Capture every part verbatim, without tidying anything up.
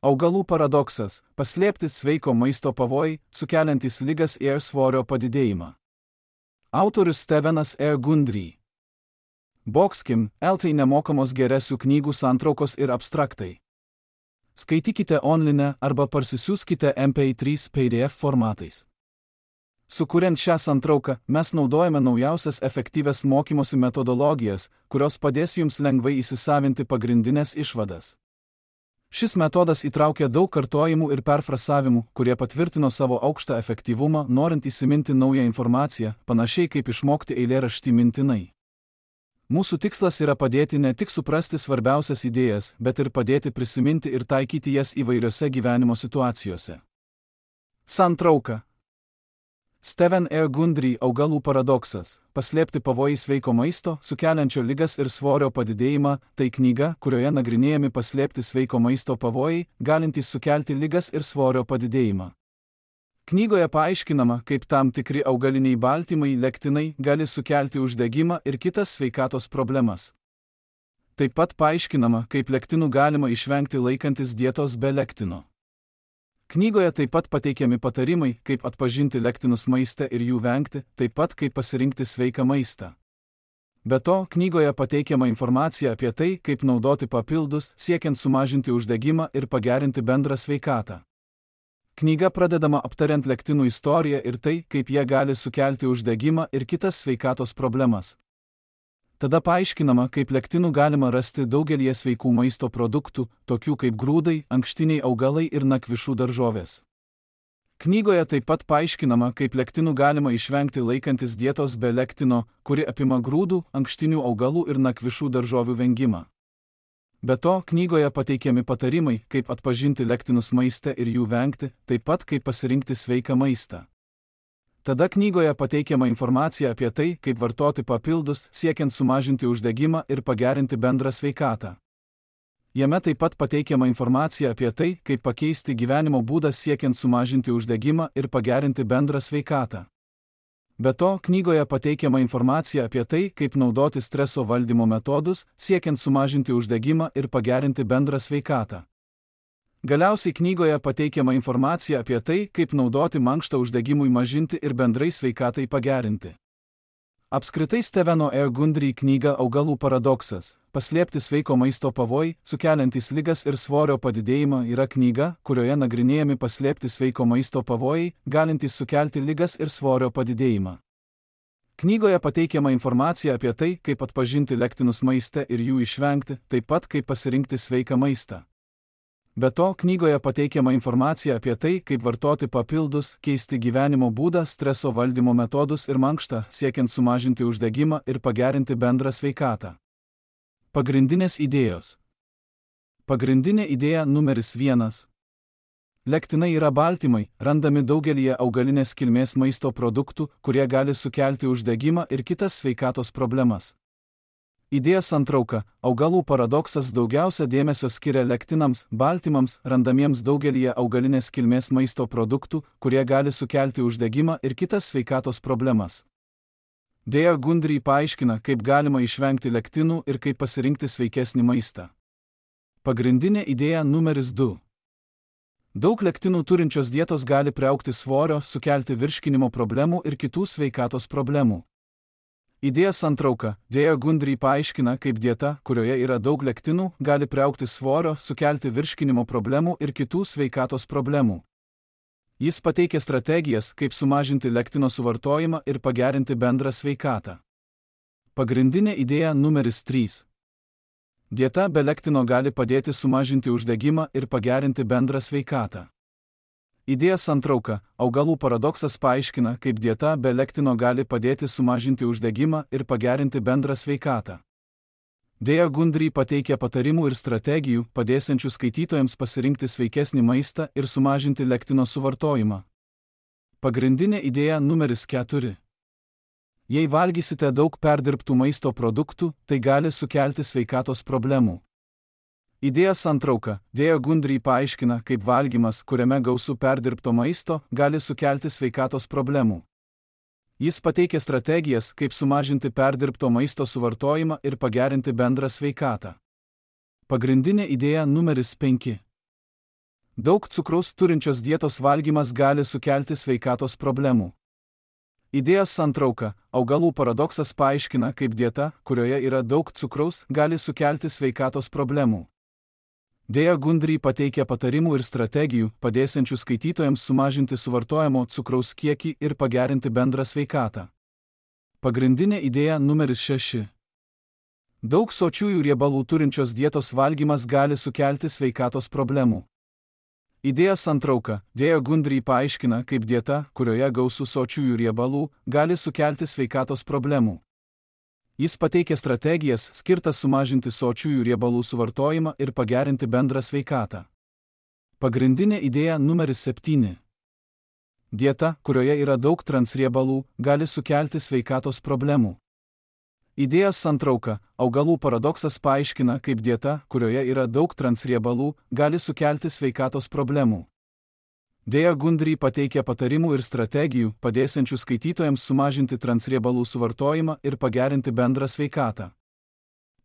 Augalų paradoksas – paslėpti sveiko maisto pavojai, sukeliantys ligas ir svorio padidėjimą. Autorius Stevenas R. Gundry. Boxkim, eltai nemokamos geresių knygų santraukos ir abstraktai. Skaitykite online arba parsisiųskite M P trys P D F formatais. Sukuriant šią santrauką, mes naudojame naujausias efektyvias mokymosi metodologijas, kurios padės jums lengvai įsisavinti pagrindinės išvadas. Šis metodas įtraukia daug kartojimų ir perfrasavimų, kurie patvirtino savo aukštą efektyvumą, norint įsiminti naują informaciją, panašiai kaip išmokti eilėraštį mintinai. Mūsų tikslas yra padėti ne tik suprasti svarbiausias idėjas, bet ir padėti prisiminti ir taikyti jas įvairiose gyvenimo situacijose. Santrauka. Steven R. Gundry augalų paradoksas – paslėpti pavojai sveiko maisto, sukeliančio ligas ir svorio padidėjimą – tai knyga, kurioje nagrinėjami paslėpti sveiko maisto pavojai, galintys sukelti ligas ir svorio padidėjimą. Knygoje paaiškinama, kaip tam tikri augaliniai baltymai, lektinai, gali sukelti uždegimą ir kitas sveikatos problemas. Taip pat paaiškinama, kaip lektinų galima išvengti laikantis dietos be lektino. Knygoje taip pat pateikiami patarimai, kaip atpažinti lektinus maiste ir jų vengti, taip pat kaip pasirinkti sveiką maistą. Be to, knygoje pateikiama informacija apie tai, kaip naudoti papildus, siekiant sumažinti uždegimą ir pagerinti bendrą sveikatą. Knyga pradedama aptariant lektinų istoriją ir tai, kaip jie gali sukelti uždegimą ir kitas sveikatos problemas. Tada paaiškinama, kaip lektinų galima rasti daugelį sveikų maisto produktų, tokių kaip grūdai, ankštiniai augalai ir nakvišų daržovės. Knygoje taip pat paaiškinama, kaip lektinų galima išvengti laikantis dietos be lektino, kuri apima grūdų, ankštinių augalų ir nakvišų daržovių vengimą. Be to, knygoje pateikiami patarimai, kaip atpažinti lektinus maiste ir jų vengti, taip pat kaip pasirinkti sveiką maistą. Tada knygoje pateikiama informacija apie tai, kaip vartoti papildus, siekiant sumažinti uždegimą ir pagerinti bendrą sveikatą. Jame taip pat pateikiama informacija apie tai, kaip pakeisti gyvenimo būdą siekiant sumažinti uždegimą ir pagerinti bendrą sveikatą. Be to, knygoje pateikiama informacija apie tai, kaip naudoti streso valdymo metodus, siekiant sumažinti uždegimą ir pagerinti bendrą sveikatą. Galiausiai knygoje pateikiama informacija apie tai, kaip naudoti mankštą uždegimui mažinti ir bendrai sveikatai pagerinti. Apskritai Steveno R. Gundry knyga Augalų paradoksas – paslėpti sveiko maisto pavojai, sukeliantys ligas ir svorio padidėjimą yra knyga, kurioje nagrinėjami paslėpti sveiko maisto pavojai, galintys sukelti ligas ir svorio padidėjimą. Knygoje pateikiama informacija apie tai, kaip atpažinti lektinus maiste ir jų išvengti, taip pat kaip pasirinkti sveiką maistą. Be to, knygoje pateikiama informacija apie tai, kaip vartoti papildus, keisti gyvenimo būdą, streso valdymo metodus ir mankštą, siekiant sumažinti uždegimą ir pagerinti bendrą sveikatą. Pagrindinės idėjos. Pagrindinė idėja numeris vienas. Lektinai yra baltymai, randami daugelyje augalinės kilmės maisto produktų, kurie gali sukelti uždegimą ir kitas sveikatos problemas. Idėja santrauka – augalų paradoksas daugiausia dėmesio skiria lektinams, baltymams, randamiems daugelyje augalinės kilmės maisto produktų, kurie gali sukelti uždegimą ir kitas sveikatos problemas. D R Gundry paaiškina, kaip galima išvengti lektinų ir kaip pasirinkti sveikesnį maistą. Pagrindinė idėja numeris du. Daug lektinų turinčios dietos gali priaugti svorio, sukelti virškinimo problemų ir kitų sveikatos problemų. Idėja santrauka – D R Gundry paaiškina, kaip dieta, kurioje yra daug lektinų, gali priaugti svorio, sukelti virškinimo problemų ir kitų sveikatos problemų. Jis pateikia strategijas, kaip sumažinti lektino suvartojimą ir pagerinti bendrą sveikatą. Pagrindinė idėja numeris trys. Dieta be lektino gali padėti sumažinti uždegimą ir pagerinti bendrą sveikatą. Idėja santrauka – augalų paradoksas paaiškina, kaip dieta be lektino gali padėti sumažinti uždegimą ir pagerinti bendrą sveikatą. D R Gundry pateikia patarimų ir strategijų, padėsiančių skaitytojams pasirinkti sveikesnį maistą ir sumažinti lektino suvartojimą. Pagrindinė idėja numeris keturi. Jei valgysite daug perdirbtų maisto produktų, tai gali sukelti sveikatos problemų. Idėja santrauka – D R Gundry paaiškina, kaip valgymas, kuriame gausu perdirbto maisto, gali sukelti sveikatos problemų. Jis pateikia strategijas, kaip sumažinti perdirbto maisto suvartojimą ir pagerinti bendrą sveikatą. Pagrindinė idėja numeris penki. Daug cukraus turinčios dietos valgymas gali sukelti sveikatos problemų. Idėjos santrauka – augalų paradoksas paaiškina, kaip dieta, kurioje yra daug cukraus, gali sukelti sveikatos problemų. Dėja Gundry pateikia patarimų ir strategijų, padėsiančių skaitytojams sumažinti suvartojamo cukraus kiekį ir pagerinti bendrą sveikatą. Pagrindinė idėja numeris šeši. Daug sočiųjų riebalų turinčios dietos valgymas gali sukelti sveikatos problemų. Idėja santrauka – Dėja Gundry paaiškina, kaip dieta, kurioje gausu sočiųjų riebalų, gali sukelti sveikatos problemų. Jis pateikia strategijas, skirtas sumažinti sočiųjų riebalų suvartojimą ir pagerinti bendrą sveikatą. Pagrindinė idėja numeris septyni. Dieta, kurioje yra daug transriebalų, gali sukelti sveikatos problemų. Idėjos santrauka – augalų paradoksas paaiškina, kaip dieta, kurioje yra daug transriebalų, gali sukelti sveikatos problemų. Dėja Gundry pateikia patarimų ir strategijų, padėsiančių skaitytojams sumažinti transriebalų suvartojimą ir pagerinti bendrą sveikatą.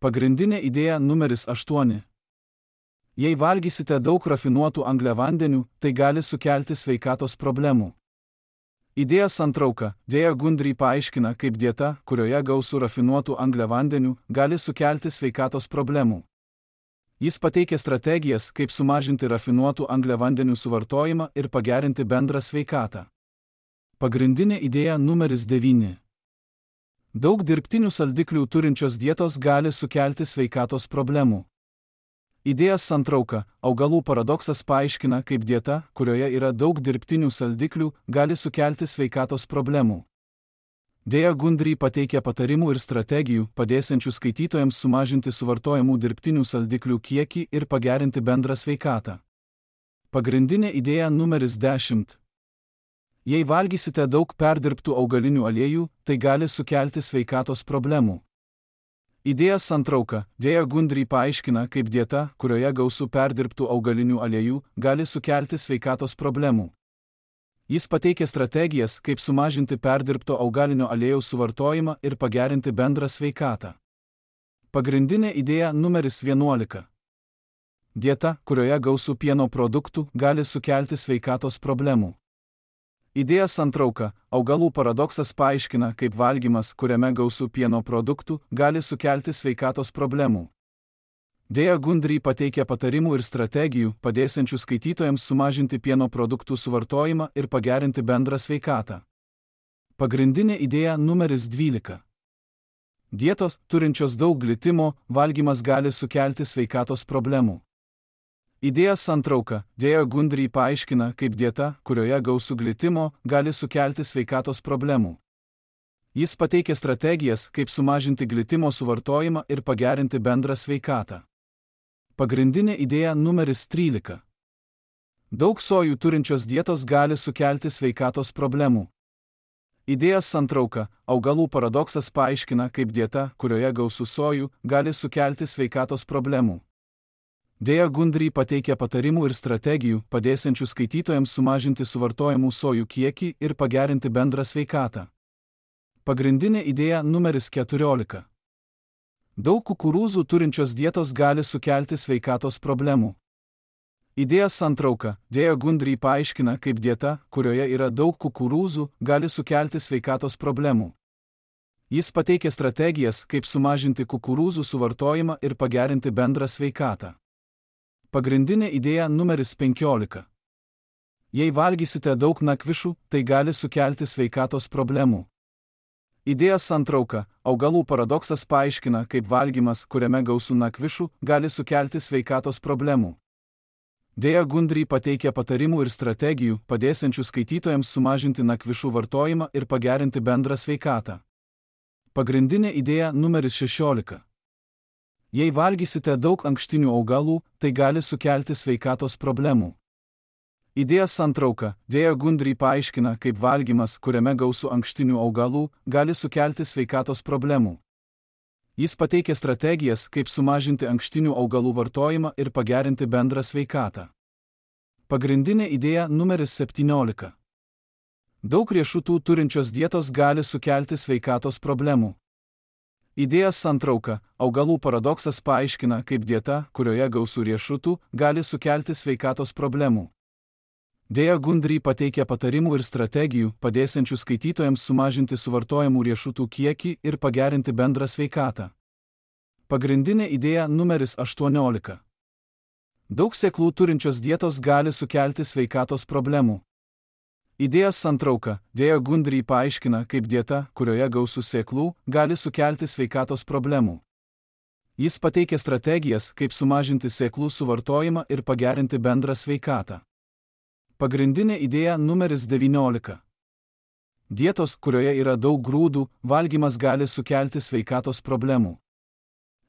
Pagrindinė idėja numeris aštuoni. Jei valgysite daug rafinuotų angliavandenių, tai gali sukelti sveikatos problemų. Idėja santrauka – Dėja Gundry paaiškina, kaip dieta, kurioje gausu rafinuotų angliavandenių, gali sukelti sveikatos problemų. Jis pateikia strategijas, kaip sumažinti rafinuotų angliavandenių suvartojimą ir pagerinti bendrą sveikatą. Pagrindinė idėja numeris devyni. Daug dirbtinių saldiklių turinčios dietos gali sukelti sveikatos problemų. Idėjos santrauka – augalų paradoksas paaiškina, kaip dieta, kurioje yra daug dirbtinių saldiklių, gali sukelti sveikatos problemų. Dėja Gundry pateikia patarimų ir strategijų, padėsiančių skaitytojams sumažinti suvartojamų dirbtinių saldiklių kiekį ir pagerinti bendrą sveikatą. Pagrindinė idėja numeris dešimt. Jei valgysite daug perdirbtų augalinių aliejų, tai gali sukelti sveikatos problemų. Idėjos santrauka – Dėja Gundry paaiškina, kaip dieta, kurioje gausu perdirbtų augalinių aliejų, gali sukelti sveikatos problemų. Jis pateikia strategijas, kaip sumažinti perdirbto augalinio aliejaus suvartojimą ir pagerinti bendrą sveikatą. Pagrindinė idėja numeris vienuolika. Dieta, kurioje gausu pieno produktų, gali sukelti sveikatos problemų. Idėja santrauka – augalų paradoksas paaiškina, kaip valgymas, kuriame gausu pieno produktų, gali sukelti sveikatos problemų. Dėja Gundry pateikia patarimų ir strategijų, padėsiančių skaitytojams sumažinti pieno produktų suvartojimą ir pagerinti bendrą sveikatą. Pagrindinė idėja numeris dvylika. Dietos, turinčios daug glitimo, valgymas gali sukelti sveikatos problemų. Idėjos santrauka – Dėja Gundry paaiškina, kaip dieta, kurioje gausu glitimo, gali sukelti sveikatos problemų. Jis pateikia strategijas, kaip sumažinti glitimo suvartojimą ir pagerinti bendrą sveikatą. Pagrindinė idėja numeris trylika. Daug sojų turinčios dietos gali sukelti sveikatos problemų. Idėjos santrauka – augalų paradoksas paaiškina, kaip dieta, kurioje gausu sojų, gali sukelti sveikatos problemų. Dėja Gundry pateikia patarimų ir strategijų, padėsiančių skaitytojams sumažinti suvartojamų sojų kiekį ir pagerinti bendrą sveikatą. Pagrindinė idėja numeris keturiolika. Daug kukurūzų turinčios dietos gali sukelti sveikatos problemų. Idėjos santrauka – Dėja Gundry paaiškina, kaip dieta, kurioje yra daug kukurūzų, gali sukelti sveikatos problemų. Jis pateikia strategijas, kaip sumažinti kukurūzų suvartojimą ir pagerinti bendrą sveikatą. Pagrindinė idėja numeris penkiolika. Jei valgysite daug nakvišų, tai gali sukelti sveikatos problemų. Idėjos santrauka – augalų paradoksas paaiškina, kaip valgymas, kuriame gausu nakvišų, gali sukelti sveikatos problemų. Dėja Gundry pateikia patarimų ir strategijų, padėsiančių skaitytojams sumažinti nakvišų vartojimą ir pagerinti bendrą sveikatą. Pagrindinė idėja numeris šešiolika. Jei valgysite daug ankštinių augalų, tai gali sukelti sveikatos problemų. Idėjos santrauka – Dėja Gundry paaiškina, kaip valgymas, kuriame gausu ankštinių augalų, gali sukelti sveikatos problemų. Jis pateikia strategijas, kaip sumažinti ankštinių augalų vartojimą ir pagerinti bendrą sveikatą. Pagrindinė idėja numeris septyniolika. Daug riešutų turinčios dietos gali sukelti sveikatos problemų. Idėjos santrauka. Augalų paradoksas paaiškina, kaip dieta, kurioje gausu riešutų, gali sukelti sveikatos problemų. Dėja Gundry pateikia patarimų ir strategijų, padėsiančių skaitytojams sumažinti suvartojamų riešutų kiekį ir pagerinti bendrą sveikatą. Pagrindinė idėja numeris aštuoniolika. Daug sėklų turinčios dietos gali sukelti sveikatos problemų. Idėjos santrauka. Dėja Gundry paaiškina, kaip dieta, kurioje gausu sėklų, gali sukelti sveikatos problemų. Jis pateikia strategijas, kaip sumažinti sėklų suvartojimą ir pagerinti bendrą sveikatą. Pagrindinė idėja numeris devyniolika. Dietos, kurioje yra daug grūdų, valgymas gali sukelti sveikatos problemų.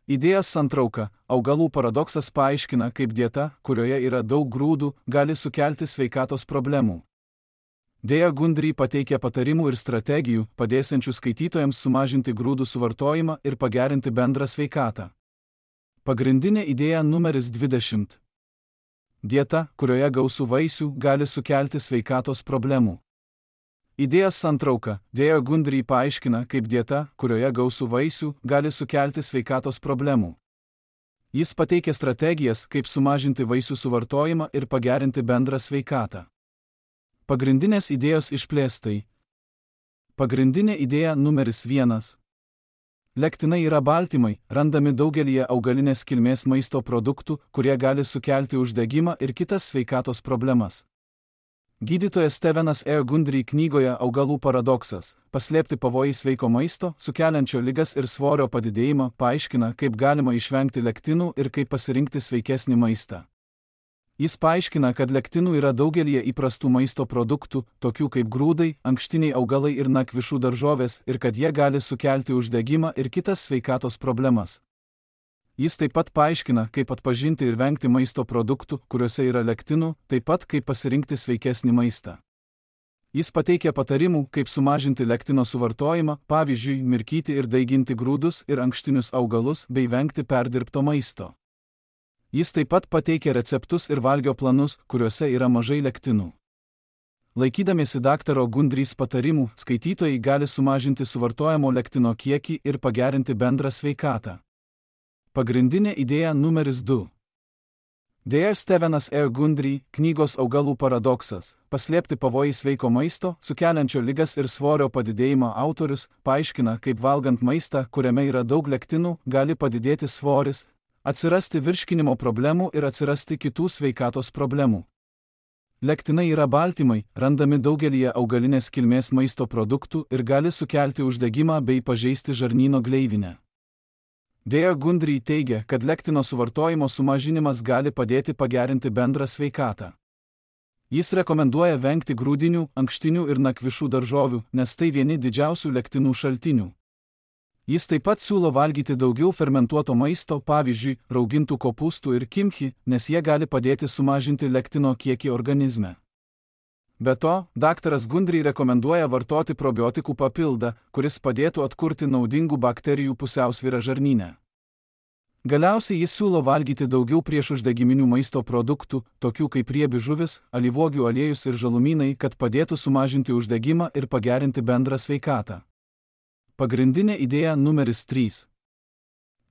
Idėjos santrauka. Augalų paradoksas paaiškina, kaip dieta, kurioje yra daug grūdų, gali sukelti sveikatos problemų. Dėja Gundry pateikia patarimų ir strategijų, padėsiančių skaitytojams sumažinti grūdų suvartojimą ir pagerinti bendrą sveikatą. Pagrindinė idėja numeris dvidešimt. Dieta, kurioje gausu vaisių, gali sukelti sveikatos problemų. Idėjos santrauka. Dėja Gundry paaiškina, kaip dieta, kurioje gausu vaisių, gali sukelti sveikatos problemų. Jis pateikia strategijas, kaip sumažinti vaisių suvartojimą ir pagerinti bendrą sveikatą. Pagrindinės idėjos išplėstai. Pagrindinė idėja numeris vienas. Lektinai yra baltymai, randami daugelyje augalinės kilmės maisto produktų, kurie gali sukelti uždegimą ir kitas sveikatos problemas. Gydytojas Stevenas R. Gundry knygoje Augalų paradoksas – paslėpti pavojai sveiko maisto, sukeliančio ligas ir svorio padidėjimą, paaiškina, kaip galima išvengti lektinų ir kaip pasirinkti sveikesnį maistą. Jis paaiškina, kad lektinų yra daugelyje įprastų maisto produktų, tokių kaip grūdai, ankštiniai augalai ir nakvišų daržovės, ir kad jie gali sukelti uždegimą ir kitas sveikatos problemas. Jis taip pat paaiškina, kaip atpažinti ir vengti maisto produktų, kuriuose yra lektinų, taip pat kaip pasirinkti sveikesnį maistą. Jis pateikia patarimų, kaip sumažinti lektino suvartojimą, pavyzdžiui, mirkyti ir daiginti grūdus ir ankštinius augalus bei vengti perdirbto maisto. Jis taip pat pateikia receptus ir valgio planus, kuriuose yra mažai lektinų. Laikydamiesi daktaro Gundrys patarimų, skaitytojai gali sumažinti suvartojamo lektino kiekį ir pagerinti bendrą sveikatą. Pagrindinė idėja numeris du. Dėja Stevenas R. Gundry, knygos Augalų paradoksas – paslėpti pavojai sveiko maisto, sukeliančio ligas ir svorio padidėjimą autorius, paaiškina, kaip valgant maistą, kuriame yra daug lektinų, gali padidėti svoris, atsirasti virškinimo problemų ir atsirasti kitų sveikatos problemų. Lektinai yra baltymai, randami daugelyje augalinės kilmės maisto produktų ir gali sukelti uždegimą bei pažeisti žarnyno gleivinę. Dėja Gundry teigia, kad lektino suvartojimo sumažinimas gali padėti pagerinti bendrą sveikatą. Jis rekomenduoja vengti grūdinių, ankštinių ir nakvišų daržovių, nes tai vieni didžiausių lektinų šaltinių. Jis taip pat siūlo valgyti daugiau fermentuoto maisto, pavyzdžiui, raugintų kopūstų ir kimchi, nes jie gali padėti sumažinti lektino kiekį organizme. Be to, daktaras Gundry rekomenduoja vartoti probiotikų papildą, kuris padėtų atkurti naudingų bakterijų pusiausvyrą žarnyne. Galiausiai jis siūlo valgyti daugiau priešuždegiminių maisto produktų, tokių kaip riebi žuvis, alyvuogių aliejus ir žalumynai, kad padėtų sumažinti uždegimą ir pagerinti bendrą sveikatą. Pagrindinė idėja numeris trys.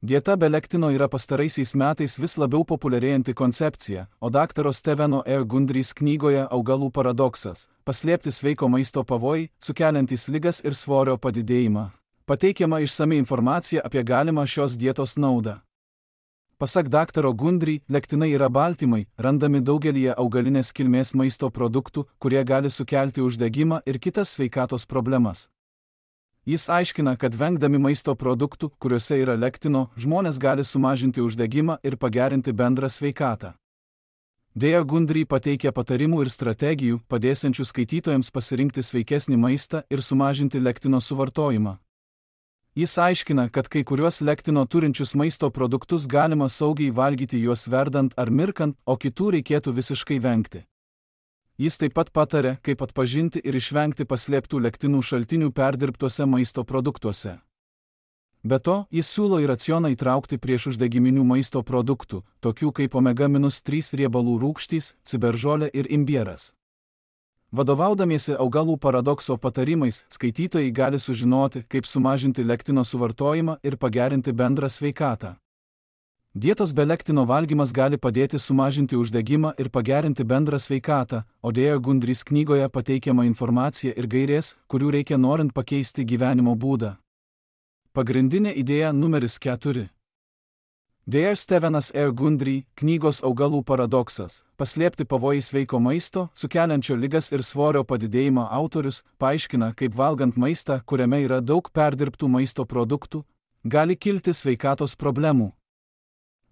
Dieta be lektino yra pastaraisiais metais vis labiau populiarėjanti koncepcija, o daktaro Steveno R. Gundrys knygoje Augalų paradoksas – paslėpti sveiko maisto pavojai, sukeliantys ligas ir svorio padidėjimą. Pateikiama išsami informacija apie galimą šios dietos naudą. Pasak daktaro Gundry, lektinai yra baltymai, randami daugelyje augalinės kilmės maisto produktų, kurie gali sukelti uždegimą ir kitas sveikatos problemas. Jis aiškina, kad vengdami maisto produktų, kuriuose yra lektino, žmonės gali sumažinti uždegimą ir pagerinti bendrą sveikatą. Dėja Gundry pateikia patarimų ir strategijų, padėsiančių skaitytojams pasirinkti sveikesnį maistą ir sumažinti lektino suvartojimą. Jis aiškina, kad kai kuriuos lektino turinčius maisto produktus galima saugiai valgyti juos verdant ar mirkant, o kitų reikėtų visiškai vengti. Jis taip pat patarė, kaip atpažinti ir išvengti paslėptų lektinų šaltinių perdirbtuose maisto produktuose. Be to, jis siūlo į racioną įtraukti priešuždegiminių maisto produktų, tokių kaip omega trys riebalų rūgštys, ciberžolė ir imbieras. Vadovaudamiesi augalų paradokso patarimais, skaitytojai gali sužinoti, kaip sumažinti lektino suvartojimą ir pagerinti bendrą sveikatą. Dietos be lektino valgymas gali padėti sumažinti uždegimą ir pagerinti bendrą sveikatą, o Dare Gundrys knygoje pateikiama informacija ir gairės, kurių reikia norint pakeisti gyvenimo būdą. Pagrindinė idėja numeris keturi. Dare Stevenas R. Gundry, knygos Augalų paradoksas, paslėpti pavojai sveiko maisto, sukeliančio ligas ir svorio padidėjimą autorius, paaiškina, kaip valgant maistą, kuriame yra daug perdirbtų maisto produktų, gali kilti sveikatos problemų.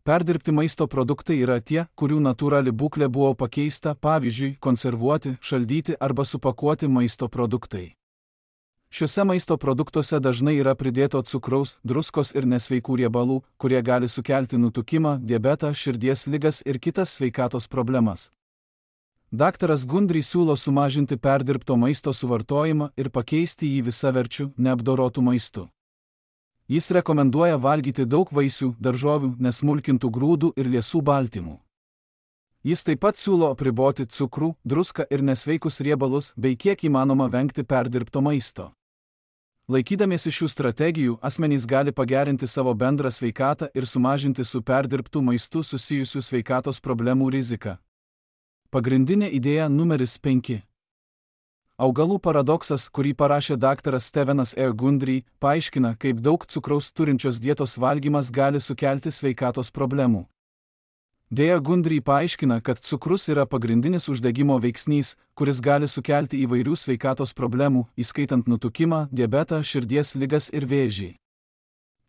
Perdirbti maisto produktai yra tie, kurių natūrali būklė buvo pakeista, pavyzdžiui, konservuoti, šaldyti arba supakuoti maisto produktai. Šiuose maisto produktuose dažnai yra pridėto cukraus, druskos ir nesveikų riebalų, kurie gali sukelti nutukimą, diabetą, širdies ligas ir kitas sveikatos problemas. Daktaras Gundry siūlo sumažinti perdirbto maisto suvartojimą ir pakeisti jį visaverčiu, neapdorotų maistu. Jis rekomenduoja valgyti daug vaisių, daržovių, nesmulkintų grūdų ir liesų baltymų. Jis taip pat siūlo apriboti cukrų, druską ir nesveikus riebalus bei kiek įmanoma vengti perdirbto maisto. Laikydamiesi šių strategijų, asmenys gali pagerinti savo bendrą sveikatą ir sumažinti su perdirbtų maistu susijusių sveikatos problemų riziką. Pagrindinė idėja numeris penki. Augalų paradoksas, kurį parašė daktaras Stevenas R. Gundry, paaiškina, kaip daug cukraus turinčios dietos valgymas gali sukelti sveikatos problemų. Dare Gundry paaiškina, kad cukrus yra pagrindinis uždegimo veiksnys, kuris gali sukelti įvairių sveikatos problemų, įskaitant nutukimą, diabetą, širdies ligas ir vėžį.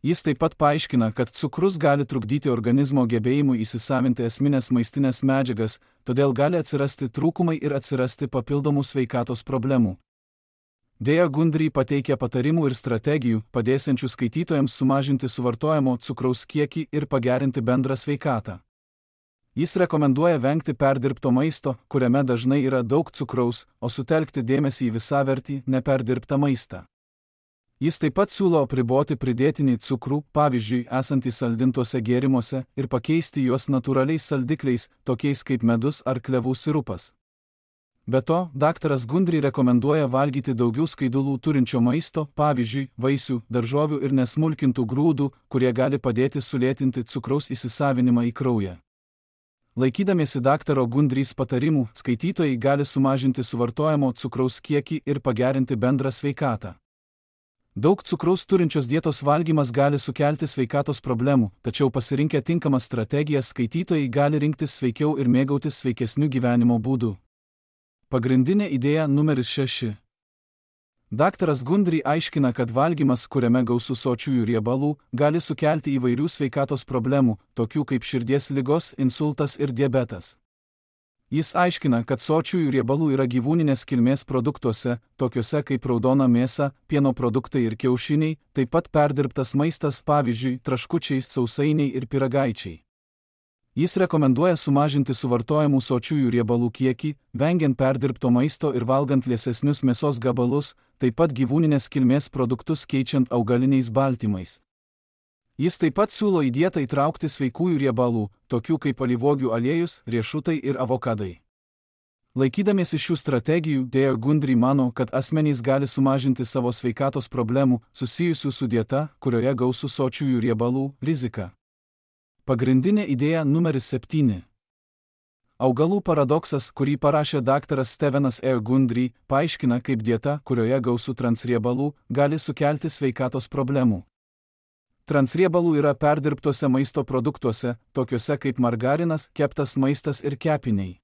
Jis taip pat paaiškina, kad cukrus gali trukdyti organizmo gebėjimui įsisavinti esminės maistinės medžiagas, todėl gali atsirasti trūkumai ir atsirasti papildomų sveikatos problemų. Dare Gundry pateikia patarimų ir strategijų, padėsiančių skaitytojams sumažinti suvartojamo cukraus kiekį ir pagerinti bendrą sveikatą. Jis rekomenduoja vengti perdirbto maisto, kuriame dažnai yra daug cukraus, o sutelkti dėmesį į visavertį, neperdirbtą maistą. Jis taip pat siūlo apriboti pridėtinį cukrų, pavyzdžiui, esantį saldintuose gėrimuose, ir pakeisti juos natūraliais saldikliais, tokiais kaip medus ar klevų sirupas. Be to, daktaras Gundry rekomenduoja valgyti daugiau skaidulų turinčio maisto, pavyzdžiui, vaisių, daržovių ir nesmulkintų grūdų, kurie gali padėti sulėtinti cukraus įsisavinimą į kraują. Laikydamiesi daktaro Gundrys patarimų, skaitytojai gali sumažinti suvartojamo cukraus kiekį ir pagerinti bendrą sveikatą. Daug cukraus turinčios dietos valgymas gali sukelti sveikatos problemų, tačiau pasirinkę tinkamas strategijas skaitytojai gali rinktis sveikiau ir mėgautis sveikesniu gyvenimo būdu. Pagrindinė idėja numeris šeši. Daktaras Gundry aiškina, kad valgymas, kuriame gausu sočiųjų riebalų, gali sukelti įvairių sveikatos problemų, tokių kaip širdies ligos, insultas ir diabetas. Jis aiškina, kad sočiųjų riebalų yra gyvūninės kilmės produktuose, tokiuose kaip raudona mėsa, pieno produktai ir kiaušiniai, taip pat perdirbtas maistas, pavyzdžiui, traškučiai, sausainiai ir pyragaičiai. Jis rekomenduoja sumažinti suvartojamų sočiųjų riebalų kiekį, vengiant perdirbto maisto ir valgant liesesnius mėsos gabalus, taip pat gyvūninės kilmės produktus keičiant augaliniais baltymais. Jis taip pat siūlo į dietą įtraukti sveikųjų riebalų, tokių kaip alyvuogių aliejus, riešutai ir avokadai. Laikydamiesi šių strategijų, Dare Gundry mano, kad asmenys gali sumažinti savo sveikatos problemų, susijusių su dieta, kurioje gausu sočiųjų riebalų, riziką. Pagrindinė idėja numeris septyni. Augalų paradoksas, kurį parašė daktaras Stevenas R. Gundry, paaiškina, kaip dieta, kurioje gausu transriebalų, gali sukelti sveikatos problemų. Transriebalų yra perdirbtose maisto produktuose, tokiuose kaip margarinas, keptas maistas ir kepiniai.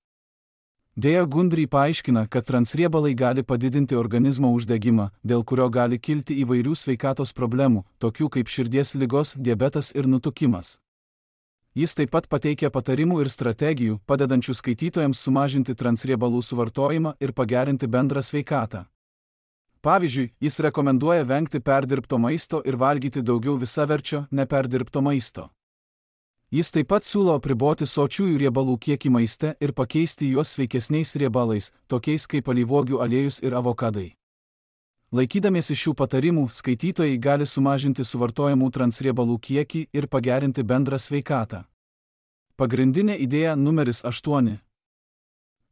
Dare Gundry paaiškina, kad transriebalai gali padidinti organizmo uždegimą, dėl kurio gali kilti įvairių sveikatos problemų, tokių kaip širdies ligos, diabetas ir nutukimas. Jis taip pat pateikia patarimų ir strategijų, padedančių skaitytojams sumažinti transriebalų suvartojimą ir pagerinti bendrą sveikatą. Pavyzdžiui, jis rekomenduoja vengti perdirbto maisto ir valgyti daugiau visaverčio, neperdirbto maisto. Jis taip pat siūlo apriboti sočiųjų riebalų kiekį maiste ir pakeisti juos sveikesniais riebalais, tokiais kaip alyvuogių aliejus ir avokadai. Laikydamiesi šių patarimų, skaitytojai gali sumažinti suvartojamų transriebalų kiekį ir pagerinti bendrą sveikatą. Pagrindinė idėja numeris aštuoni.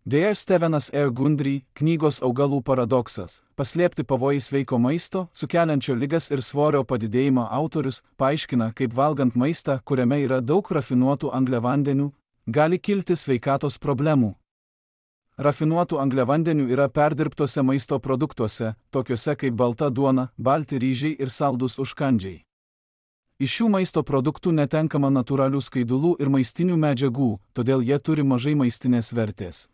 Deja Stevenas R. Gundry, knygos Augalų paradoksas, paslėpti pavojai sveiko maisto, sukeliančio ligas ir svorio padidėjimą autorius paaiškina, kaip valgant maistą, kuriame yra daug rafinuotų angliavandenių, gali kilti sveikatos problemų. Rafinuotų angliavandenių yra perdirbtose maisto produktuose, tokiuose kaip balta duona, balti ryžiai ir saldūs užkandžiai. Iš šių maisto produktų netenkama natūralių skaidulų ir maistinių medžiagų, todėl jie turi mažai maistinės vertės.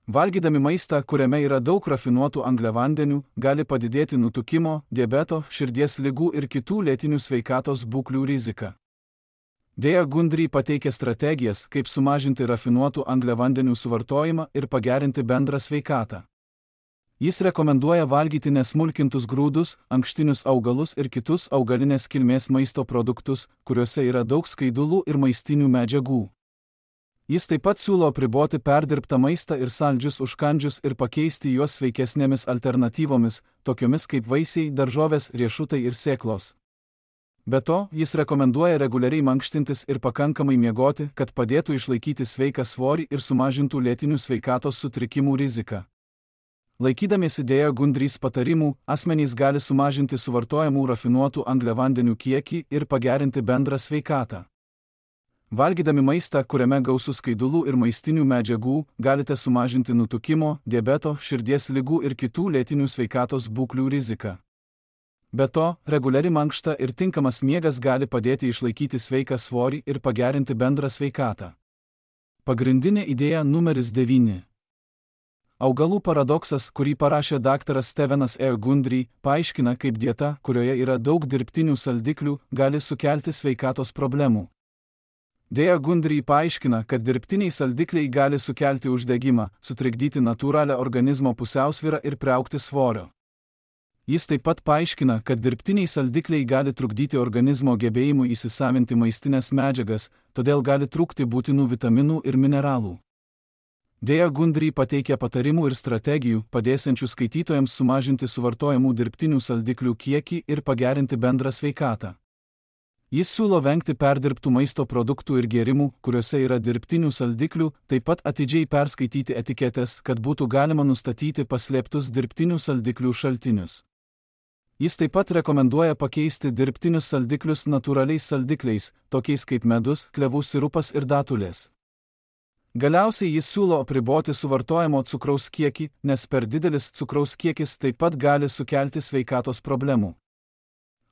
Valgydami maistą, kuriame yra daug rafinuotų angliavandenių, gali padidėti nutukimo, diabeto, širdies ligų ir kitų lėtinių sveikatos būklių rizika. Deja Gundry pateikia strategijas, kaip sumažinti rafinuotų angliavandenių suvartojimą ir pagerinti bendrą sveikatą. Jis rekomenduoja valgyti nesmulkintus grūdus, ankštinius augalus ir kitus augalinės kilmės maisto produktus, kuriuose yra daug skaidulų ir maistinių medžiagų. Jis taip pat siūlo apriboti perdirbtą maistą ir saldžius užkandžius ir pakeisti juos sveikesnėmis alternatyvomis, tokiomis kaip vaisiai, daržovės, riešutai ir sėklos. Be to, jis rekomenduoja reguliariai mankštintis ir pakankamai miegoti, kad padėtų išlaikyti sveiką svorį ir sumažintų lėtinių sveikatos sutrikimų riziką. Laikydamiesi Deja Gundrys patarimų, asmenys gali sumažinti suvartojamų rafinuotų angliavandenių kiekį ir pagerinti bendrą sveikatą. Valgydami maistą, kuriame gausu skaidulų ir maistinių medžiagų, galite sumažinti nutukimo, diabeto, širdies ligų ir kitų lėtinių sveikatos būklių riziką. Be to, reguliari mankšta ir tinkamas miegas gali padėti išlaikyti sveiką svorį ir pagerinti bendrą sveikatą. Pagrindinė idėja numeris devyni. Augalų paradoksas, kurį parašė daktaras Stevenas R. Gundry, paaiškina, kaip dieta, kurioje yra daug dirbtinių saldiklių, gali sukelti sveikatos problemų. Deja Gundry paaiškina, kad dirbtiniai saldikliai gali sukelti uždegimą, sutrikdyti natūralią organizmo pusiausvyrą ir priaugti svorio. Jis taip pat paaiškina, kad dirbtiniai saldikliai gali trukdyti organizmo gebėjimui įsisavinti maistinės medžiagas, todėl gali trūkti būtinų vitaminų ir mineralų. Deja Gundry pateikia patarimų ir strategijų, padėsiančių skaitytojams sumažinti suvartojamų dirbtinių saldiklių kiekį ir pagerinti bendrą sveikatą. Jis siūlo vengti perdirbtų maisto produktų ir gėrimų, kuriuose yra dirbtinių saldiklių, taip pat atidžiai perskaityti etiketes, kad būtų galima nustatyti paslėptus dirbtinių saldiklių šaltinius. Jis taip pat rekomenduoja pakeisti dirbtinius saldiklius natūraliais saldikliais, tokiais kaip medus, klevų sirupas ir datulės. Galiausiai jis siūlo apriboti suvartojamo cukraus kiekį, nes per didelis cukraus kiekis taip pat gali sukelti sveikatos problemų.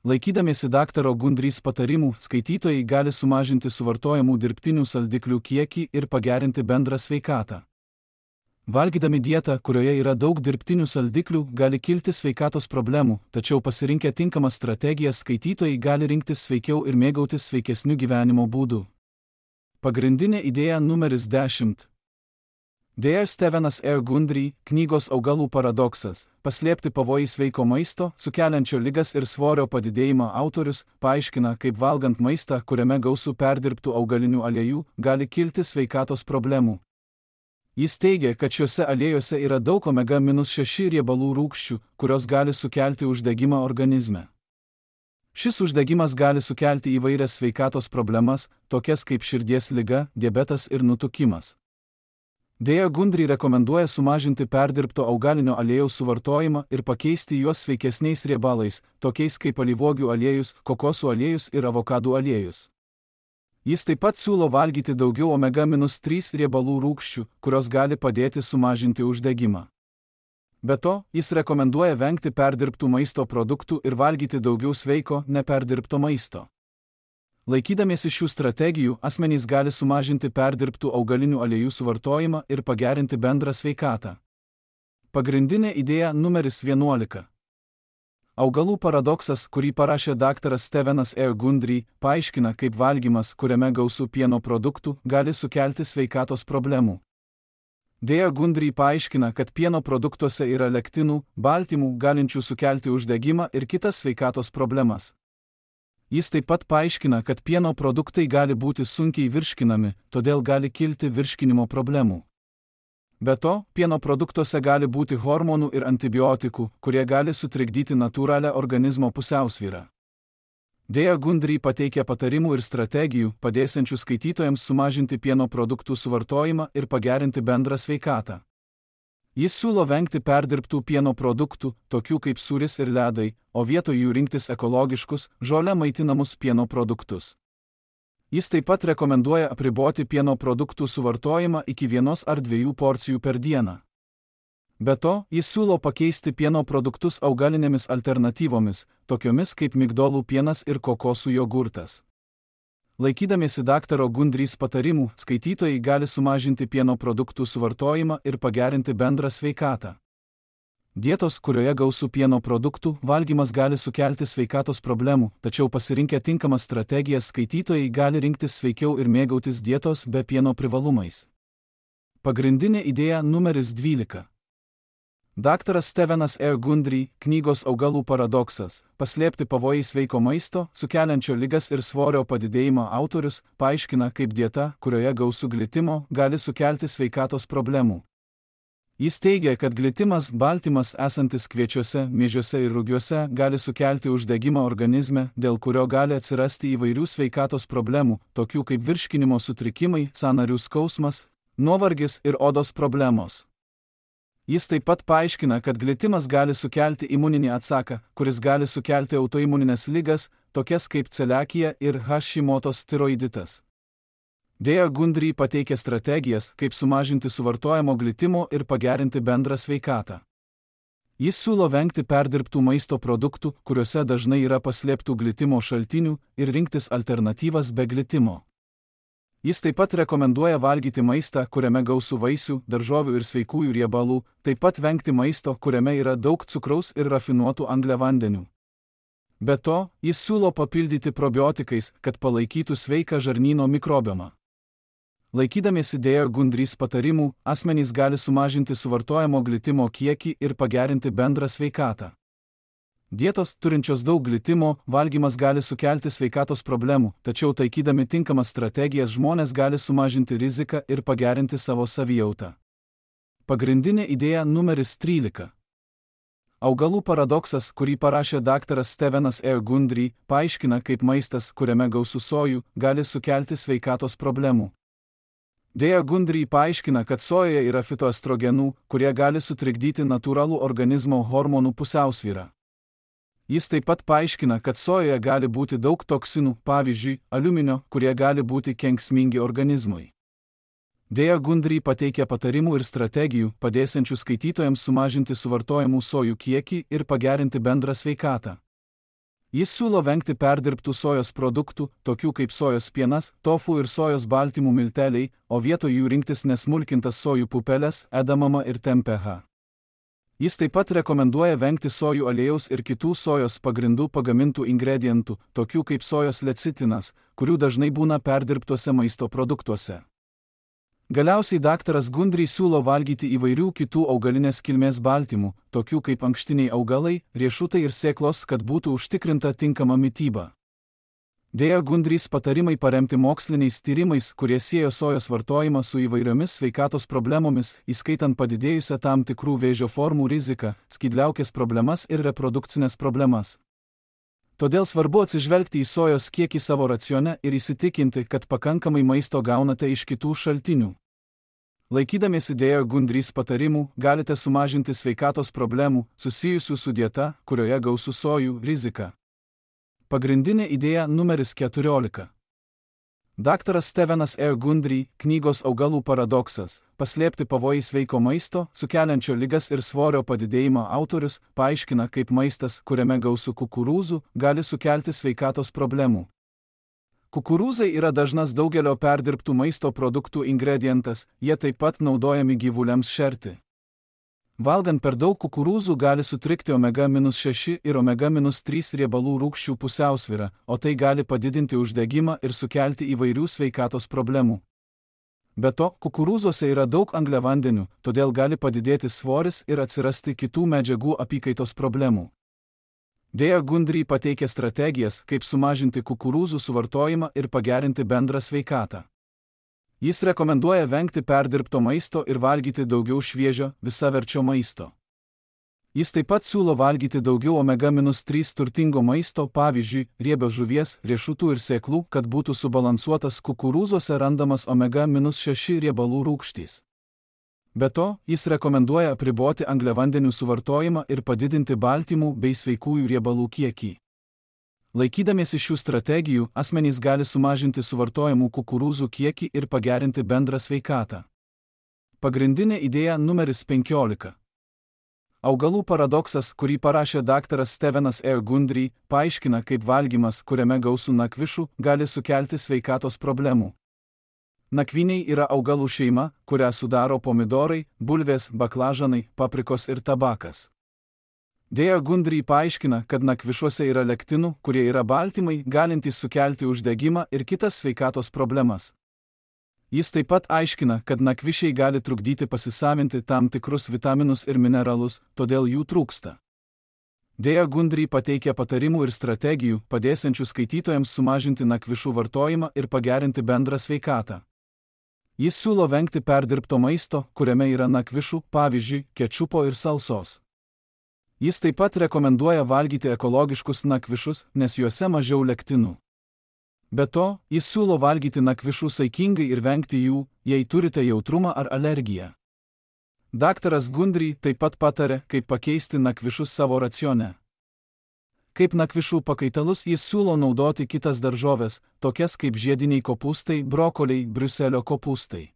Laikydamiesi daktaro Gundrys patarimų, skaitytojai gali sumažinti suvartojamų dirbtinių saldiklių kiekį ir pagerinti bendrą sveikatą. Valgydami dietą, kurioje yra daug dirbtinių saldiklių, gali kilti sveikatos problemų, tačiau pasirinkę tinkamas strategijas skaitytojai gali rinktis sveikiau ir mėgautis sveikesniu gyvenimo būdu. Pagrindinė idėja numeris dešimt. Deja Stevenas R. Gundry, knygos Augalų paradoksas, paslėpti pavojai sveiko maisto, sukeliančio ligas ir svorio padidėjimą autorius, paaiškina, kaip valgant maistą, kuriame gausu perdirbtų augalinių aliejų, gali kilti sveikatos problemų. Jis teigia, kad šiuose aliejuose yra daug omega šeši riebalų rūgščių, kurios gali sukelti uždegimą organizme. Šis uždegimas gali sukelti įvairias sveikatos problemas, tokias kaip širdies liga, diabetas ir nutukimas. Deja Gundry rekomenduoja sumažinti perdirbto augalinio aliejaus suvartojimą ir pakeisti juos sveikesniais riebalais, tokiais kaip alyvuogių aliejus, kokosų aliejus ir avokadų aliejus. Jis taip pat siūlo valgyti daugiau omega trys riebalų rūgščių, kurios gali padėti sumažinti uždegimą. Be to, jis rekomenduoja vengti perdirbtų maisto produktų ir valgyti daugiau sveiko, neperdirbto maisto. Laikydamiesi šių strategijų, asmenys gali sumažinti perdirbtų augalinių aliejų suvartojimą ir pagerinti bendrą sveikatą. Pagrindinė idėja numeris vienuolika. Augalų paradoksas, kurį parašė daktaras Stevenas R. Gundry, paaiškina, kaip valgymas, kuriame gausu pieno produktų, gali sukelti sveikatos problemų. Deja Gundry paaiškina, kad pieno produktuose yra lektinų, baltymų, galinčių sukelti uždegimą ir kitas sveikatos problemas. Jis taip pat paaiškina, kad pieno produktai gali būti sunkiai virškinami, todėl gali kilti virškinimo problemų. Be to, pieno produktuose gali būti hormonų ir antibiotikų, kurie gali sutrikdyti natūralią organizmo pusiausvyrą. Dėja Gundry pateikia patarimų ir strategijų, padėsiančių skaitytojams sumažinti pieno produktų suvartojimą ir pagerinti bendrą sveikatą. Jis siūlo vengti perdirbtų pieno produktų, tokių kaip sūris ir ledai, o vietoj jų rinktis ekologiškus, žole maitinamus pieno produktus. Jis taip pat rekomenduoja apriboti pieno produktų suvartojimą iki vienos ar dviejų porcijų per dieną. Be to, jis siūlo pakeisti pieno produktus augalinėmis alternatyvomis, tokiomis kaip migdolų pienas ir kokosų jogurtas. Laikydamiesi daktaro Gundrys patarimų, skaitytojai gali sumažinti pieno produktų suvartojimą ir pagerinti bendrą sveikatą. Dietos, kurioje gausu pieno produktų, valgymas gali sukelti sveikatos problemų, tačiau pasirinkę tinkamas strategijas skaitytojai gali rinktis sveikiau ir mėgautis dietos be pieno privalumais. Pagrindinė idėja numeris dvylika. Daktaras Stevenas R. Gundry, knygos Augalų paradoksas, paslėpti pavojai sveiko maisto, sukeliančio ligas ir svorio padidėjimą autorius, paaiškina, kaip dieta, kurioje gausu glitimo, gali sukelti sveikatos problemų. Jis teigia, kad glitimas, baltymas esantis kviečiuose, miežiuose ir rugiuose, gali sukelti uždegimą organizme, dėl kurio gali atsirasti įvairių sveikatos problemų, tokių kaip virškinimo sutrikimai, sąnarių skausmas, nuovargis ir odos problemos. Jis taip pat paaiškina, kad glitimas gali sukelti imuninį atsaką, kuris gali sukelti autoimuninės ligas, tokias kaip celiakija ir Hashimoto's tiroiditas. Dėja Gundry pateikia strategijas, kaip sumažinti suvartojamo glitimo ir pagerinti bendrą sveikatą. Jis siūlo vengti perdirbtų maisto produktų, kuriuose dažnai yra paslėptų glitimo šaltinių, ir rinktis alternatyvas be glitimo. Jis taip pat rekomenduoja valgyti maistą, kuriame gausu vaisių, daržovių ir sveikųjų riebalų, taip pat vengti maisto, kuriame yra daug cukraus ir rafinuotų angliavandenių. Be to, jis siūlo papildyti probiotikais, kad palaikytų sveiką žarnyno mikrobiomą. Laikydamiesi Dėja Gundrys patarimų, asmenys gali sumažinti suvartojamo glitimo kiekį ir pagerinti bendrą sveikatą. Dietos, turinčios daug glitimo, valgymas gali sukelti sveikatos problemų, tačiau taikydami tinkamas strategijas žmonės gali sumažinti riziką ir pagerinti savo savijautą. Pagrindinė idėja numeris trylika. Augalų paradoksas, kurį parašė daktaras Stevenas R. Gundry, paaiškina, kaip maistas, kuriame gausu sojų, gali sukelti sveikatos problemų. Dėja Gundry paaiškina, kad sojoje yra fitoestrogenų, kurie gali sutrikdyti natūralų organizmo hormonų pusiausvyrą. Jis taip pat paaiškina, kad sojoje gali būti daug toksinų, pavyzdžiui, aliuminio, kurie gali būti kenksmingi organizmui. Dėja Gundry pateikia patarimų ir strategijų, padėsiančių skaitytojams sumažinti suvartojamų sojų kiekį ir pagerinti bendrą sveikatą. Jis siūlo vengti perdirbtų sojos produktų, tokių kaip sojos pienas, tofu ir sojos baltymų milteliai, o vietoj jų rinktis nesmulkintas sojų pupeles, edamamą ir tempehą. Jis taip pat rekomenduoja vengti sojų aliejaus ir kitų sojos pagrindų pagamintų ingredientų, tokių kaip sojos lecitinas, kurių dažnai būna perdirbtuose maisto produktuose. Galiausiai daktaras Gundry siūlo valgyti įvairių kitų augalinės kilmės baltymų, tokių kaip ankštiniai augalai, riešutai ir sėklos, kad būtų užtikrinta tinkama mityba. Dėja Gundrys patarimai paremti moksliniais tyrimais, kurie siejo sojos vartojimą su įvairiomis sveikatos problemomis, įskaitant padidėjusią tam tikrų vėžio formų riziką, skydliaukės problemas ir reprodukcinės problemas. Todėl svarbu atsižvelgti į sojos kiekį savo racione ir įsitikinti, kad pakankamai maisto gaunate iš kitų šaltinių. Laikydamiesi Dėja Gundrys patarimų, galite sumažinti sveikatos problemų, susijusių su dieta, kurioje gausu sojų, riziką. Pagrindinė idėja numeris keturiolika. Daktaras Stevenas R. Gundry, knygos Augalų paradoksas, paslėpti pavojai sveiko maisto, sukeliančio ligas ir svorio padidėjimą autorius, paaiškina, kaip maistas, kuriame gausu kukurūzų, gali sukelti sveikatos problemų. Kukurūzai yra dažnas daugelio perdirbtų maisto produktų ingredientas, jie taip pat naudojami gyvuliams šerti. Valgant per daug kukurūzų gali sutrikti omega šeši ir omega trys riebalų rūgščių pusiausvyrą, o tai gali padidinti uždegimą ir sukelti įvairių sveikatos problemų. Be to, kukurūzuose yra daug angliavandenių, todėl gali padidėti svoris ir atsirasti kitų medžiagų apykaitos problemų. Dėja Gundry pateikia strategijas, kaip sumažinti kukurūzų suvartojimą ir pagerinti bendrą sveikatą. Jis rekomenduoja vengti perdirbto maisto ir valgyti daugiau šviežio, visaverčio maisto. Jis taip pat siūlo valgyti daugiau omega trys turtingo maisto, pavyzdžiui, riebios žuvies, riešutų ir sėklų, kad būtų subalansuotas kukurūzuose randamas omega šeši riebalų rūgštys. Be to, jis rekomenduoja apriboti angliavandenių suvartojimą ir padidinti baltymų bei sveikųjų riebalų kiekį. Laikydamiesi šių strategijų, asmenys gali sumažinti suvartojamų kukurūzų kiekį ir pagerinti bendrą sveikatą. Pagrindinė idėja numeris penkiolika. Augalų paradoksas, kurį parašė daktaras Stevenas R. Gundry, paaiškina, kaip valgymas, kuriame gausu nakvišų, gali sukelti sveikatos problemų. Nakvyniai yra augalų šeima, kurią sudaro pomidorai, bulvės, baklažanai, paprikos ir tabakas. Dėja Gundry paaiškina, kad nakvišuose yra lektinų, kurie yra baltymai, galintys sukelti uždegimą ir kitas sveikatos problemas. Jis taip pat aiškina, kad nakvišiai gali trukdyti pasisavinti tam tikrus vitaminus ir mineralus, todėl jų trūksta. Dėja Gundry pateikia patarimų ir strategijų, padėsiančių skaitytojams sumažinti nakvišų vartojimą ir pagerinti bendrą sveikatą. Jis siūlo vengti perdirbto maisto, kuriame yra nakvišų, pavyzdžiui, kečupo ir salsos. Jis taip pat rekomenduoja valgyti ekologiškus nakvišus, nes juose mažiau lektinų. Be to, jis siūlo valgyti nakvišų saikingai ir vengti jų, jei turite jautrumą ar alergiją. Daktaras Gundry taip pat patarė, kaip pakeisti nakvišus savo racione. Kaip nakvišų pakaitalus jis siūlo naudoti kitas daržoves, tokias kaip žiediniai kopūstai, brokoliai, briuselio kopūstai.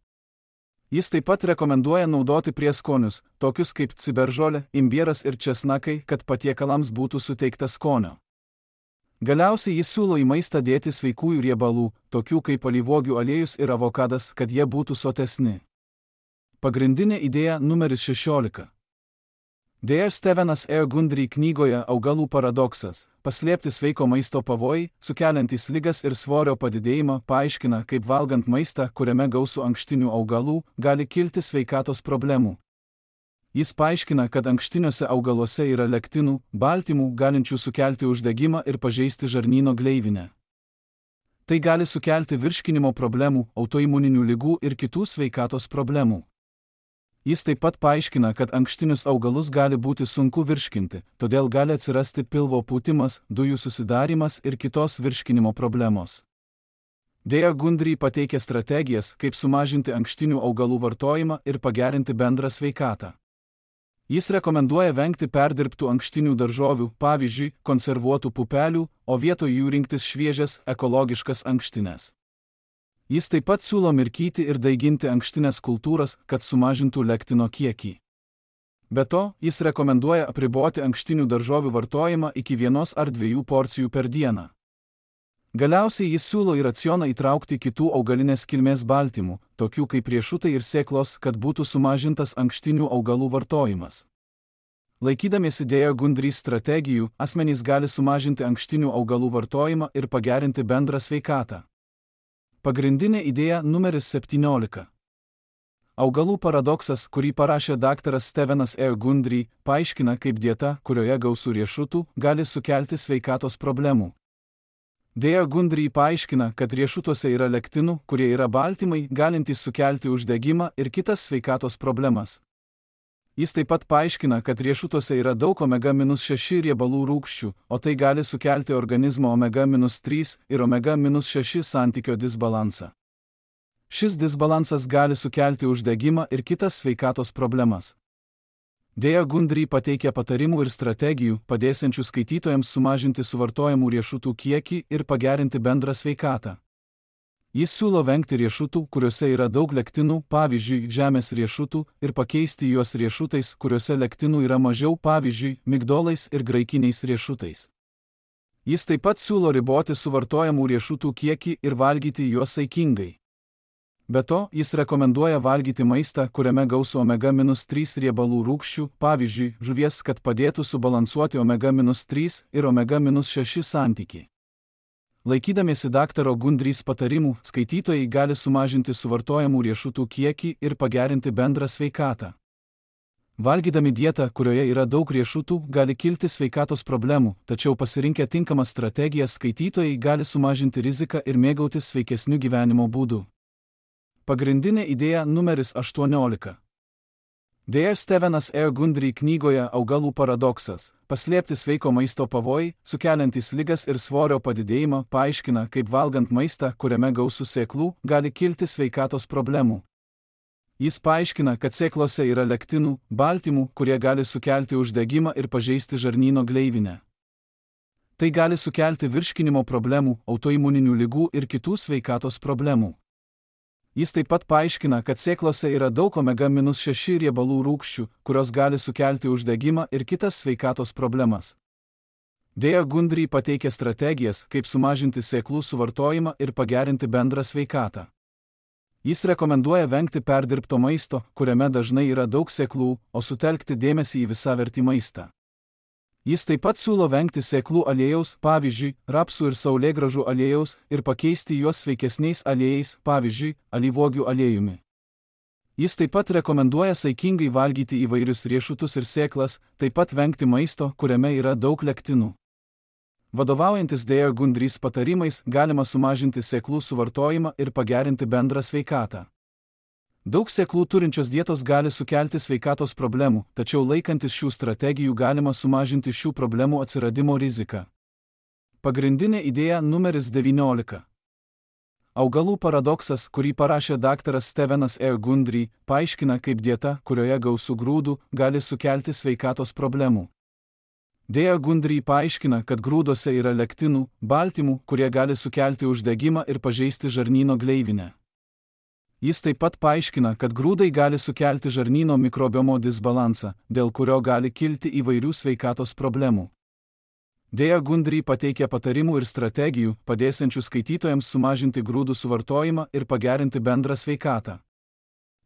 Jis taip pat rekomenduoja naudoti prieskonius, tokius kaip ciberžolė, imbieras ir česnakai, kad patiekalams būtų suteikta skonio. Galiausiai jis siūlo į maistą dėti sveikųjų riebalų, tokių kaip alyvuogių aliejus ir avokadas, kad jie būtų sotesni. Pagrindinė idėja numeris šešiolika. Dėja Stevenas R. Gundry knygoje Augalų paradoksas – paslėpti sveiko maisto pavojai, sukeliantys ligas ir svorio padidėjimą, paaiškina, kaip valgant maistą, kuriame gausu ankštinių augalų, gali kilti sveikatos problemų. Jis paaiškina, kad ankštiniuose augaluose yra lektinų, baltymų, galinčių sukelti uždegimą ir pažeisti žarnyno gleivinę. Tai gali sukelti virškinimo problemų, autoimuninių ligų ir kitų sveikatos problemų. Jis taip pat paaiškina, kad ankštinius augalus gali būti sunku virškinti, todėl gali atsirasti pilvo pūtimas, dujų susidarimas ir kitos virškinimo problemos. Dėja Gundry pateikia strategijas, kaip sumažinti ankštinių augalų vartojimą ir pagerinti bendrą sveikatą. Jis rekomenduoja vengti perdirbtų ankštinių daržovių, pavyzdžiui, konservuotų pupelių, o vietoj jų rinktis šviežias, ekologiškas ankštines. Jis taip pat siūlo mirkyti ir daiginti ankštines kultūras, kad sumažintų lektino kiekį. Be to, jis rekomenduoja apriboti ankštinių daržovių vartojimą iki vienos ar dviejų porcijų per dieną. Galiausiai jis siūlo į racioną įtraukti kitų augalinės kilmės baltymų, tokių kaip riešutai ir sėklos, kad būtų sumažintas ankštinių augalų vartojimas. Laikydamiesi Dėja Gundry strategijų, asmenys gali sumažinti ankštinių augalų vartojimą ir pagerinti bendrą sveikatą. Pagrindinė idėja numeris septyniolika. Augalų paradoksas, kurį parašė daktaras Stevenas R. Gundry, paaiškina, kaip dieta, kurioje gausu riešutų, gali sukelti sveikatos problemų. Dėja Gundry paaiškina, kad riešutuose yra lektinų, kurie yra baltymai, galintys sukelti uždegimą ir kitas sveikatos problemas. Jis taip pat paaiškina, kad riešutuose yra daug omega šeši riebalų rūgščių, o tai gali sukelti organizmo omega trys ir omega šeši santykio disbalansą. Šis disbalansas gali sukelti uždegimą ir kitas sveikatos problemas. Dėja Gundry pateikia patarimų ir strategijų, padėsiančių skaitytojams sumažinti suvartojamų riešutų kiekį ir pagerinti bendrą sveikatą. Jis siūlo vengti riešutų, kuriuose yra daug lektinų, pavyzdžiui, žemės riešutų, ir pakeisti juos riešutais, kuriuose lektinų yra mažiau, pavyzdžiui, migdolais ir graikiniais riešutais. Jis taip pat siūlo riboti suvartojamų riešutų kiekį ir valgyti juos saikingai. Be to, jis rekomenduoja valgyti maistą, kuriame gausu omega trys riebalų rūgščių, pavyzdžiui, žuvies, kad padėtų subalansuoti omega trys ir omega šeši santykį. Laikydamiesi daktaro Gundrys patarimų, skaitytojai gali sumažinti suvartojamų riešutų kiekį ir pagerinti bendrą sveikatą. Valgydami dietą, kurioje yra daug riešutų, gali kilti sveikatos problemų, tačiau pasirinkę tinkamas strategijas skaitytojai gali sumažinti riziką ir mėgautis sveikesniu gyvenimo būdu. Pagrindinė idėja numeris aštuoniolika. D R Stevenas R. Gundry knygoje Augalų paradoksas – paslėpti sveiko maisto pavojai, sukeliantys ligas ir svorio padidėjimą, paaiškina, kaip valgant maistą, kuriame gausu sėklų, gali kilti sveikatos problemų. Jis paaiškina, kad sėklose yra lektinų, baltymų, kurie gali sukelti uždegimą ir pažeisti žarnyno gleivinę. Tai gali sukelti virškinimo problemų, autoimuninių ligų ir kitų sveikatos problemų. Jis taip pat paaiškina, kad sėklose yra daug omega šeši riebalų rūgščių, kurios gali sukelti uždegimą ir kitas sveikatos problemas. D R Gundry pateikia strategijas, kaip sumažinti sėklų suvartojimą ir pagerinti bendrą sveikatą. Jis rekomenduoja vengti perdirbto maisto, kuriame dažnai yra daug sėklų, o sutelkti dėmesį į visavertį maistą. Jis taip pat siūlo vengti sėklų aliejaus, pavyzdžiui, rapsų ir saulėgrąžų aliejaus, ir pakeisti juos sveikesniais aliejais, pavyzdžiui, alyvuogių aliejumi. Jis taip pat rekomenduoja saikingai valgyti įvairius riešutus ir sėklas, taip pat vengti maisto, kuriame yra daug lektinų. Vadovaujantis D R Gundrys patarimais, galima sumažinti sėklų suvartojimą ir pagerinti bendrą sveikatą. Daug sėklų turinčios dietos gali sukelti sveikatos problemų, tačiau laikantis šių strategijų galima sumažinti šių problemų atsiradimo riziką. Pagrindinė idėja numeris devyniolika. Augalų paradoksas, kurį parašė daktaras Stevenas R. Gundry, paaiškina, kaip dieta, kurioje gausu grūdų, gali sukelti sveikatos problemų. D R Gundry paaiškina, kad grūduose yra lektinų, baltymų, kurie gali sukelti uždegimą ir pažeisti žarnyno gleivinę. Jis taip pat paaiškina, kad grūdai gali sukelti žarnyno mikrobiomo disbalansą, dėl kurio gali kilti įvairių sveikatos problemų. D R Gundry pateikia patarimų ir strategijų, padėsiančių skaitytojams sumažinti grūdų suvartojimą ir pagerinti bendrą sveikatą.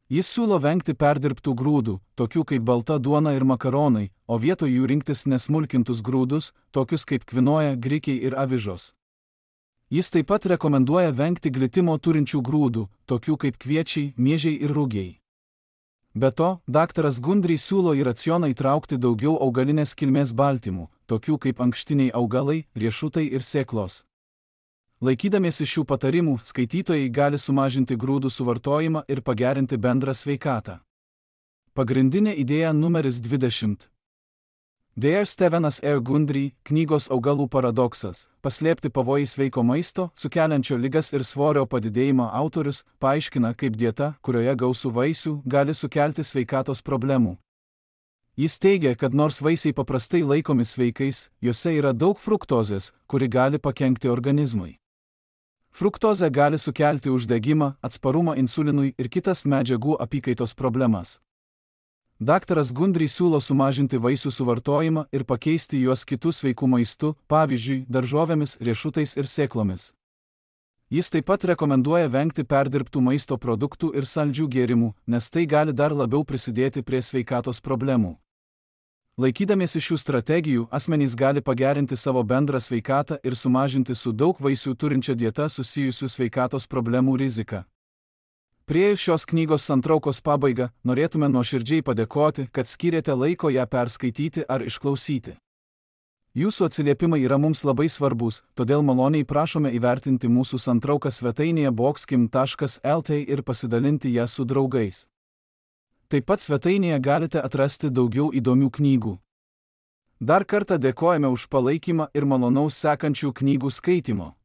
Jis siūlo vengti perdirbtų grūdų, tokių kaip balta duona ir makaronai, o vietoj jų rinktis nesmulkintus grūdus, tokius kaip kvinoja, grikiai ir avižos. Jis taip pat rekomenduoja vengti glitimo turinčių grūdų, tokių kaip kviečiai, miežiai ir rugiai. Be to, daktaras Gundry siūlo į racioną įtraukti daugiau augalinės kilmės baltymų, tokių kaip ankštiniai augalai, riešutai ir sėklos. Laikydamiesi šių patarimų, skaitytojai gali sumažinti grūdų suvartojimą ir pagerinti bendrą sveikatą. Pagrindinė idėja numeris dvidešimt. D R Stevenas R. Gundry, knygos Augalų paradoksas – paslėpti pavojai sveiko maisto, sukeliančio ligas ir svorio padidėjimą autorius, paaiškina, kaip dieta, kurioje gausu vaisių, gali sukelti sveikatos problemų. Jis teigia, kad nors vaisiai paprastai laikomi sveikais, juose yra daug fruktozės, kuri gali pakenkti organizmui. Fruktozė gali sukelti uždegimą, atsparumą insulinui ir kitas medžiagų apykaitos problemas. Daktaras Gundry siūlo sumažinti vaisių suvartojimą ir pakeisti juos kitų sveikų maistų, pavyzdžiui, daržovėmis, riešutais ir sėklomis. Jis taip pat rekomenduoja vengti perdirbtų maisto produktų ir saldžių gėrimų, nes tai gali dar labiau prisidėti prie sveikatos problemų. Laikydamiesi šių strategijų, asmenys gali pagerinti savo bendrą sveikatą ir sumažinti su daug vaisių turinčia dieta susijusių sveikatos problemų riziką. Priėjus šios knygos santraukos pabaigą, norėtume nuoširdžiai padėkoti, kad skyrėte laiko ją perskaityti ar išklausyti. Jūsų atsiliepimai yra mums labai svarbus, todėl maloniai prašome įvertinti mūsų santrauką svetainėje boxkim taškas l t ir pasidalinti ją su draugais. Taip pat svetainėje galite atrasti daugiau įdomių knygų. Dar kartą dėkojame už palaikymą ir malonaus sekančių knygų skaitymo.